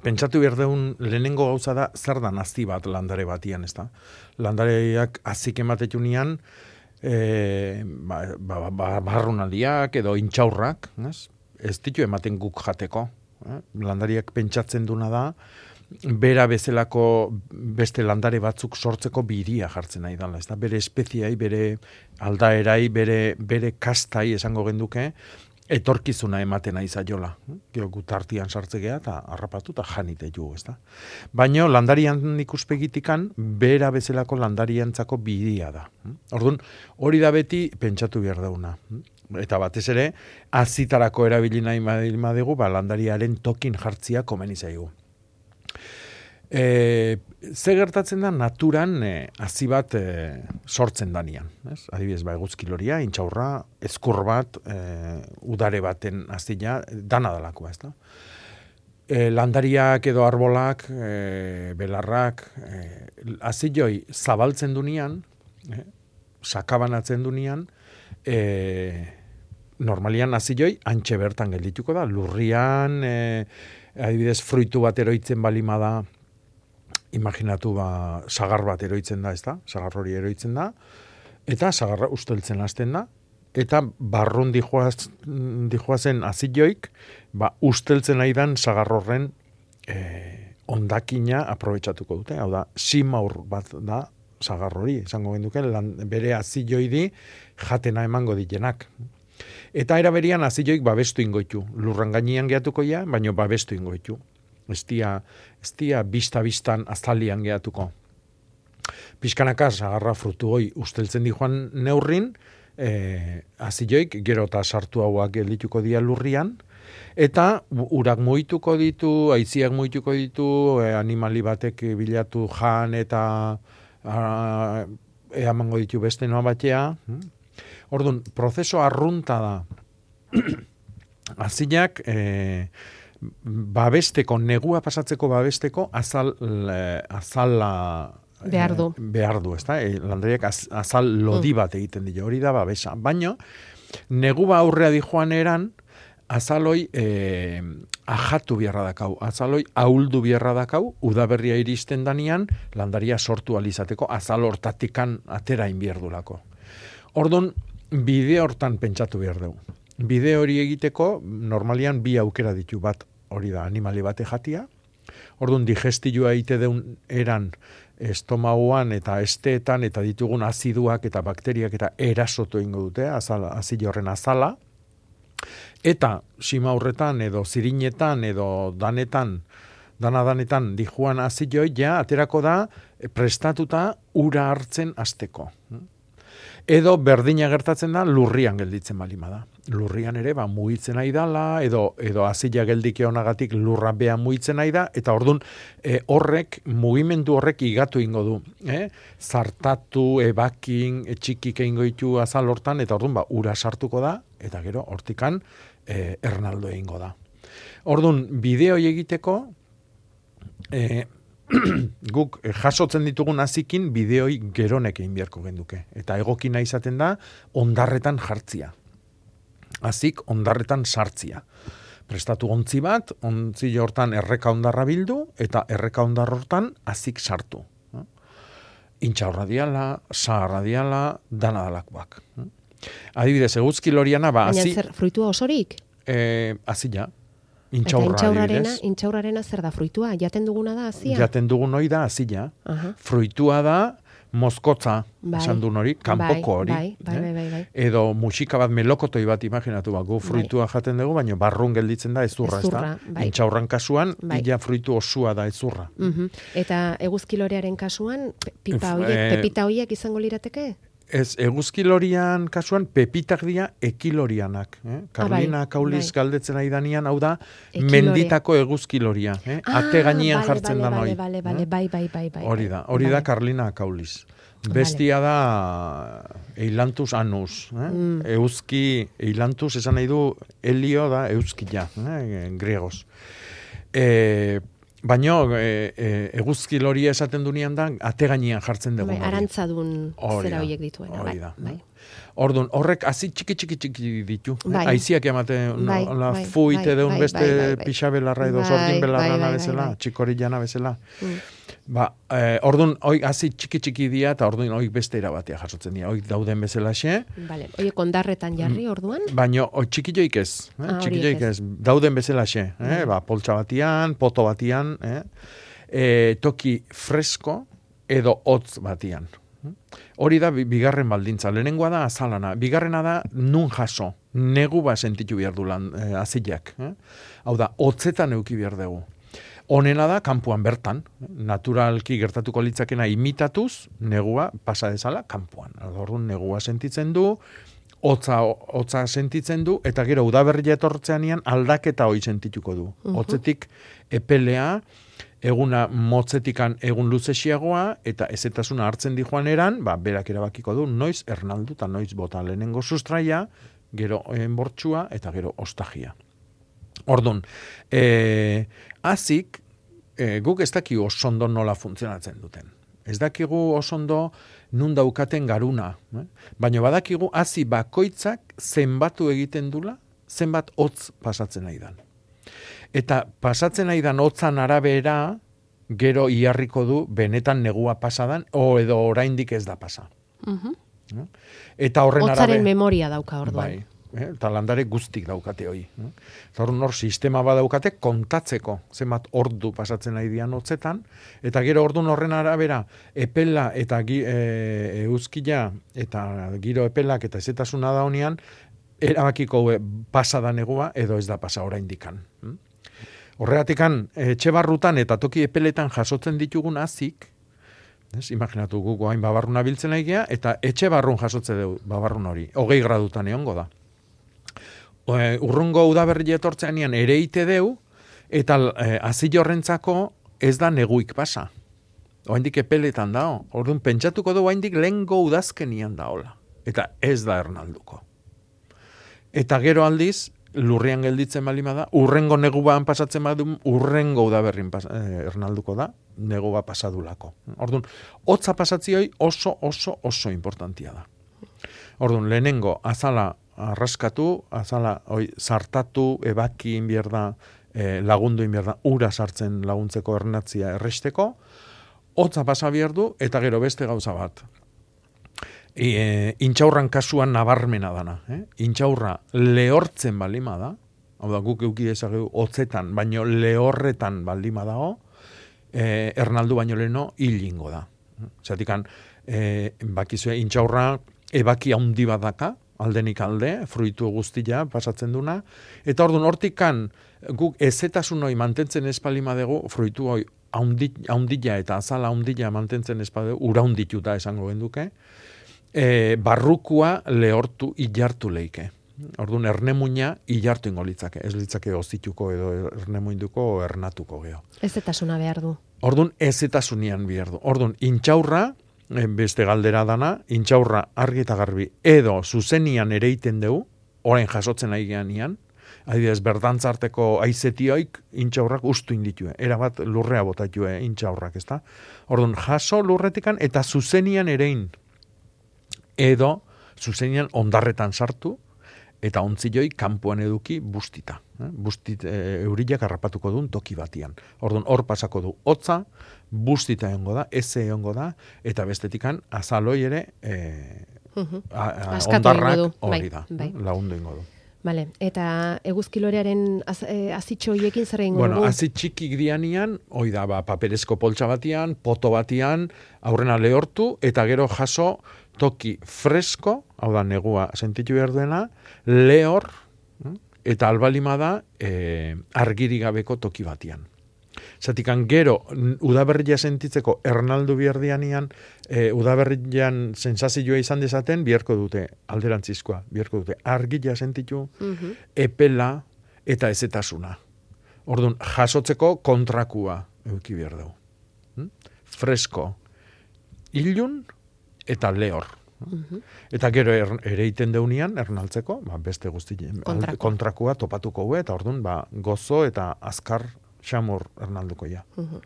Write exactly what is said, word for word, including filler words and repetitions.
pentsatu behar deun lehenengo gauza da zer da nazi bat landare batian, ez da? Landareak azik ematetunian, e, ba, ba, ba, barrunaldiak edo intxaurrak, ez? Ez ditu ematen guk jateko. Eh? Landariak pentsatzen duna da, bera bezalako beste landare batzuk sortzeko biria jartzen nahi dela, ez da? Bere espeziai, bere aldaerai, bere, bere kastai esango genduke, etorkizuna ematen nahi zaiola. Gero gutartian sartzegea eta harrapatu eta janite ju, ez da? Baina landarian ikuspegitikan, bera bezalako landariantzako bidia da. Orduan, hori da beti pentsatu behar dauna. Eta batez ere, azitarako erabili nahi madegu, ba, landariaren tokin jartzia komeni zaigu. E, ze gertatzen da naturan e, hazi bat e, sortzen danian. Ez? Adibidez, ba, eguzkiloria, intxaurra, ezkur bat, e, udare baten hazia, dana dalakoa, ez da? E, landariak edo arbolak, e, belarrak, e, hazioi zabaltzen dunean, e, sakabanatzen dunean, e, normalian hazioi antxe bertan geldituko da, lurrian, e, adibidez, fruitu bat eroitzen balima da, imaginatu ba, sagar bat eroitzen da, ez da? Sagar hori eroitzen da, eta sagarra usteltzen hasten da, eta barrun dijoaz, dijoazen azilloik, ba, usteltzen aidan sagar horren e, ondakina aprobetxatuko dute, hau da, simaur bat da sagar hori, esango genduke, lan, bere azilloi di jatena emango ditenak. Eta eraberian azilloik babestu ingoitu, lurran gainean gehatuko ja, baina babestu ingoitu. Ez dia, ez dia bista-bistan azalian gehatuko. Pizkanaka sagarra frutu hoi usteltzen di joan neurrin, e, azilloik gero eta sartu hauak geldituko dia lurrian, eta urak muituko ditu, aiziak muituko ditu, e, animali batek bilatu jan eta a, eamango ditu beste noa batea. Orduan, prozeso arrunta da. Azilak, e, babesteko, negua pasatzeko babesteko, azal, e, azala behar du. E, behar du, ez da? E, landariak az, azal lodi bat egiten dira, hori da babesa. Baina, negua aurrea di joan eran, azaloi e, ajatu biharra dakau, azaloi ahuldu biharra dakau, udaberria iristen danian, landaria sortu alizateko, azal hortatikan atera inbierdulako. Orduan, bide hortan pentsatu behar dugu. Bide hori egiteko, normalian bi aukera ditu, bat hori da, animali bate jatia. Orduan, digestioa egite deun eran estomauan eta esteetan eta ditugun aziduak eta bakteriak eta erasotu ingo dute, azala, azile horren azala. Eta sima horretan edo zirinetan edo danetan, dana-danetan dijuan aziloi, ja, aterako da prestatuta ura hartzen hasteko. Edo berdina gertatzen da lurrian gelditzen balima da. Lurrian ere ba mugitzen nahi dala, edo edo azila geldike honagatik lurra bea mugitzen nahi da, eta ordun e, horrek mugimendu horrek igatu ingo du, eh? Zartatu, ebakin, etxikik eingo ditu azal hortan, eta ordun ba ura sartuko da, eta gero hortikan e, ernaldo eingo da. Ordun bideo egiteko e, guk jasotzen ditugun azikin bideoi geronek egin beharko genduke. Eta egokina izaten da ondarretan jartzia. Azik ondarretan sartzia. Prestatu ontzi bat, ontzi hortan erreka ondarra bildu, eta erreka ondar hortan azik sartu. Intxaurra diala, saharra diala, dana dalakoak. Adibidez, eguzki loriana, ba, azi... Baina zer, fruitua osorik? E, azila. Intxaurra, intxaurrarena, intxaurrarena zer da fruitua? Jaten duguna da azia? Jaten dugun hori da azila. Uh-huh. Fruitua da mozkotza, bai, esan duen hori, kanpoko hori. Bai, bai, bai, bai, bai. Edo musika bat melokotoi bat imaginatu, ba, gu fruitua bai. Jaten dugu, baina barrun gelditzen da ezurra, ez da? Bai. Intxaurran kasuan, bai. Ila fruitu osua da ezurra. Uh-huh. Eta eguzkilorearen kasuan, pipa hoiek, e... pepita hoiek izango lirateke? Ez, eguzkilorian kasuan pepitak dira ekilorianak. Eh? Karlina ah, bai, Kauliz bai. Galdetzen ari danian, hau da, ekiloria. Menditako eguzkiloria. Eh? Ah, Ate gainean vale, jartzen vale, da noi. Vale, vale, bai, bai, bai, bai. Hori da, hori vale. Da Karlina Kauliz. Bestia vale. Da Eilantus anus. Eh? Mm. Euski, Eilantus esan nahi du, helio da euskila, eh? Griegoz. Eh, Baina e, e, eguzkiloria esaten dunean da, ate gainean jartzen dugu. Bai, arantzadun zera horiek dituen. Hori da. Bai. Ordun horrek hasi txiki txiki txiki ditu. Bai. Aiziak ematen Bai, la bai, fuite bai, deun bai, beste bai, bai, bai. pixabelarra edo Bai, sordin belarrana bai, bai, bezala, bai. txikorillana bezala. Mm. Ba, eh, ordun hoi hasi txiki txiki dia eta ordun hoi beste era batea jasotzen dira. Hoi dauden bezalaxe. Vale. Oie, kondarretan jarri orduan? Baino hoi txikilloik ez, eh? Ah, txikilloik horiek ez. Dauden bezalaxe, eh? Ba, poltsa batian, poto batian, eh? E, toki fresko edo hotz batian. Hori da bi- bigarren baldintza. Lehenengoa da azalana. Bigarrena da nun jaso. Negu ba sentitu behar du lan eh, azilak. Eh? Hau da, hotzetan euki behar dugu. Honena da, kanpoan bertan. Naturalki gertatuko litzakena imitatuz, negua pasa dezala kanpoan. Orduan negua sentitzen du, hotza, hotza sentitzen du, eta gero udaberria etortzeanean aldaketa hoi sentituko du. Hotzetik epelea, eguna motzetikan egun luzesiagoa, eta ezetasuna hartzen di joan eran, ba, berak erabakiko du, noiz ernaldu eta noiz bota lehenengo sustraia, gero enbortxua, eta gero ostagia. Ordun, eh, azik, eh, guk ez dakigu osondo nola funtzionatzen duten. Ez dakigu osondo nun daukaten garuna. Eh? Baina badakigu hazi bakoitzak zenbatu egiten dula, zenbat hotz pasatzen nahi dan. Eta pasatzen nahi dan hotzan arabera, gero iharriko du benetan negua pasadan, o edo oraindik ez da pasa. Mhm. Eh? Eta horren Hotzaren arabe... memoria dauka orduan. Bai. Eh, eta landare guztik daukate hoi. Eh? Eta hor nor sistema badaukate kontatzeko zenbat ordu pasatzen nahi dian hotzetan, eta gero ordun horren arabera epela eta gi, e, euskila eta giro epelak eta ezetasuna da honean, erabakiko e, pasa da negua edo ez da pasa oraindikan. Hm? Horregatikan etxe barrutan eta toki epeletan jasotzen ditugun azik, ez, imaginatu gugu hain babarruna biltzen nahi eta etxe barrun jasotze dugu babarrun hori, hogei gradutan egongo da. E, urrungo udaberri etortzeanean ereite deu, eta e, azil horrentzako ez da neguik pasa. Oaindik epeletan dao. Orduan pentsatuko du oaindik lehengo udazkenian daola. Eta ez da ernalduko. Eta gero aldiz, lurrian gelditzen balima da, urrengo negubaan pasatzen badu, urrengo udaberrin pas, eh, ernalduko da, neguba pasadulako. Orduan, hotza pasatzioi oso, oso, oso importantia da. Orduan, lehenengo azala arraskatu, azala oi, sartatu, ebaki inbierda, eh, lagundu inbierda, ura sartzen laguntzeko ernatzia erresteko, hotza pasa behar du, eta gero beste gauza bat. E, intxaurran kasuan nabarmena dana. Eh? Intxaurra lehortzen balima da, hau da guk euki dezakegu hotzetan, baino lehorretan baldima dago, e, ernaldu baino leheno hilingo da. Zatikan, e, bakizue, intxaurra ebaki handi badaka, aldenik alde, fruitu guztia pasatzen duna, eta orduan hortikan guk ezetasun hori mantentzen espalima dugu, fruitu hori haundila eta azala haundila mantentzen espalima dugu, ura haundituta esango genduke, e, barrukua lehortu ilartu leike. Orduan ernemuina ilartu ingo litzake, ez litzake ozituko edo ernemuinduko o ernatuko geho. Ezetasuna behar du. Orduan ezetasunian behar du. Orduan intxaurra, beste galdera dana, intxaurra argi eta garbi edo zuzenian ereiten dugu, orain jasotzen ari geanian, adibidez berdantzarteko aizetioik intxaurrak ustu inditue, erabat lurrea botatue intxaurrak, ezta? Orduan jaso lurretikan eta zuzenian erein, edo zuzenian ondarretan sartu, eta ontzioi kanpoan eduki bustita. Eh? Bustit, e, eurilak harrapatuko duen toki batian. Orduan hor pasako du hotza, bustita egongo da, eze egongo da, eta bestetikan azaloi ere e, Uh-huh. a, a, Askatu ondarrak egingo du. hori Bai, da, bai. lagundu ingo du. Vale. Eta eguzkilorearen az, e, azitxo hiekin zer egingo Bueno, dugu? azit txikik dianian, hoi da, ba, paperezko poltsa batian, poto batian, aurrena lehortu, eta gero jaso toki fresko, hau da, negua sentitu behar duena, lehor, eta albalima da, e, argiri gabeko toki batian. Zatikan gero, udaberria sentitzeko ernaldu biherdianian, e, udaberrian sensazioa izan dezaten, biherko dute, alderantzizkoa, biherko dute, argia sentitu, Mhm. epela eta ezetasuna. Orduan, jasotzeko kontrakua euki behar dugu. Hm? Fresko, ilun eta lehor. Mhm. Eta gero er, ereiten deunian, ernaltzeko, ba, beste guzti Kontrakua. kontrakua topatuko gue, eta orduan, ba, gozo eta azkar xamur ernalduko ja. Mhm.